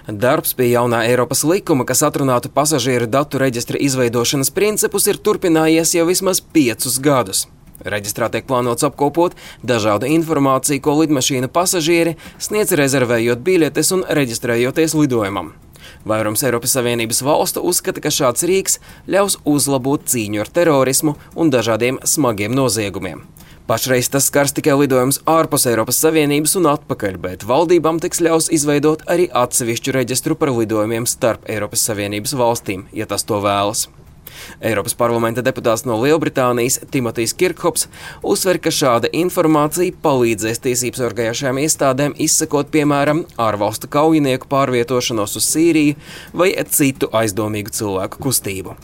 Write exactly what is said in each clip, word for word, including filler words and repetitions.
Darbs pie jaunā Eiropas likuma, kas atrunātu pasažieru datu reģistra izveidošanas principus, ir turpinājies jau vismaz piecus gadus. Reģistrā tiek plānots apkopot dažādu informāciju, ko lidmašīna pasažieri sniedz rezervējot biļetes un reģistrējoties lidojumam. Vairums Eiropas Savienības valstu uzskata, ka šāds rīks ļaus uzlabot cīņu ar terorismu un dažādiem smagiem noziegumiem. Pašreiz tas skars tikai lidojumus ārpus Eiropas Savienības un atpakaļ, bet valdībām tiks ļaus izveidot arī atsevišķu reģistru par lidojumiem starp Eiropas Savienības valstīm, ja tas to vēlas. Eiropas parlamenta deputāts no Lielbritānijas Timotijs Kirkhops uzsver, ka šāda informācija palīdzēs tiesības sargājošajām iestādēm izsekot, piemēram, ārvalstu kaujinieku pārvietošanos uz Sīriju vai citu aizdomīgu cilvēku kustību.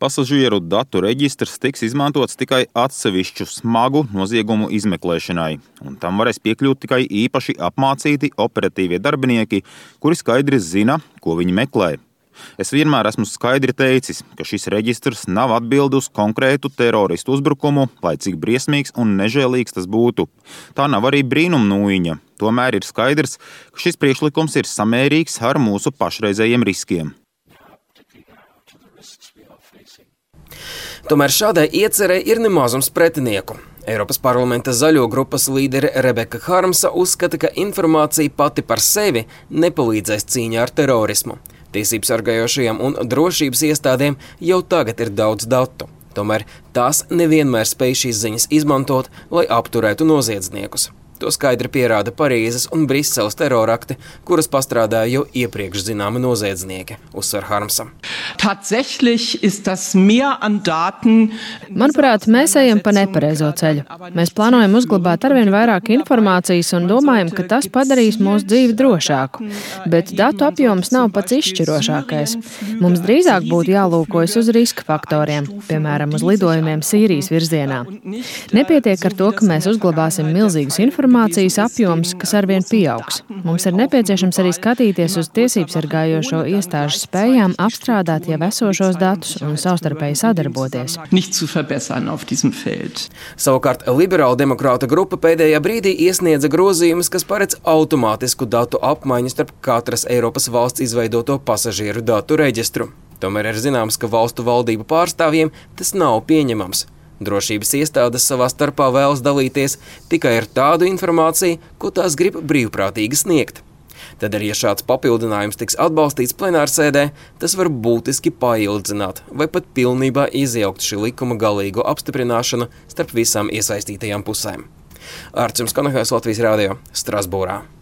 Pasažieru datu reģistrs tiks izmantots tikai atsevišķu smagu noziegumu izmeklēšanai, un tam varēs piekļūt tikai īpaši apmācīti operatīvie darbinieki, kuri skaidri zina, ko viņi meklē. Es vienmēr esmu skaidri teicis, ka šis reģistrs nav atbildi uz konkrētu teroristu uzbrukumu, lai cik briesmīgs un nežēlīgs tas būtu. Tā nav arī brīnumnūjiņa. Tomēr ir skaidrs, ka šis priekšlikums ir samērīgs ar mūsu pašreizējiem riskiem. Tomēr šādai iecerei ir nemazums pretinieku. Eiropas parlamenta zaļo grupas līdere Rebeka Harmsa uzskata, ka informācija pati par sevi nepalīdzēs cīņā ar terorismu. Tiesības sargājošajām un drošības iestādēm jau tagad ir daudz datu. Tomēr tās nevienmēr spēj šīs ziņas izmantot, lai apturētu noziedzniekus. To skaidri pierāda Parīzes un Briseles terorakti, kuras pastrādāja jau iepriekš zināmi noziedznieki, uzsver Harmsa. Manuprāt, mēs ejam pa nepareizo ceļu. Mēs plānojam uzglabāt arvien vairāk informācijas un domājam, ka tas padarīs mūsu dzīvi drošāku. Bet datu apjoms nav pats izšķirošākais. Mums drīzāk būtu jālūkojas uz riska faktoriem, piemēram, uz lidojumiem Sīrijas virzienā. Nepietiek ar to, ka mēs uzglabāsim milzīgas informācijas, informācijas apjoms, kas arvien pieaugs. Mums ir nepieciešams arī skatīties uz tiesības sargājošo iestāžu spējām apstrādāt jau esošos datus un savstarpēji sadarboties. Savukārt liberāla demokrāta grupa pēdējā brīdī iesniedza grozījumus, kas paredz automātisku datu apmaiņu starp katras Eiropas valsts izveidoto pasažieru datu reģistru. Tomēr ir zināms, ka valstu valdību pārstāvjiem tas nav pieņemams. Drošības iestādes savā starpā vēlas dalīties tikai ar tādu informāciju, ko tās grib brīvprātīgi sniegt. Tad arī, ja šāds papildinājums tiks atbalstīts plenārsēdē, tas var būtiski paildzināt vai pat pilnībā izjaukt šī likuma galīgo apstiprināšanu starp visām iesaistītajām pusēm. Ārts jums Kanahais, Latvijas radio, Strasbūrā.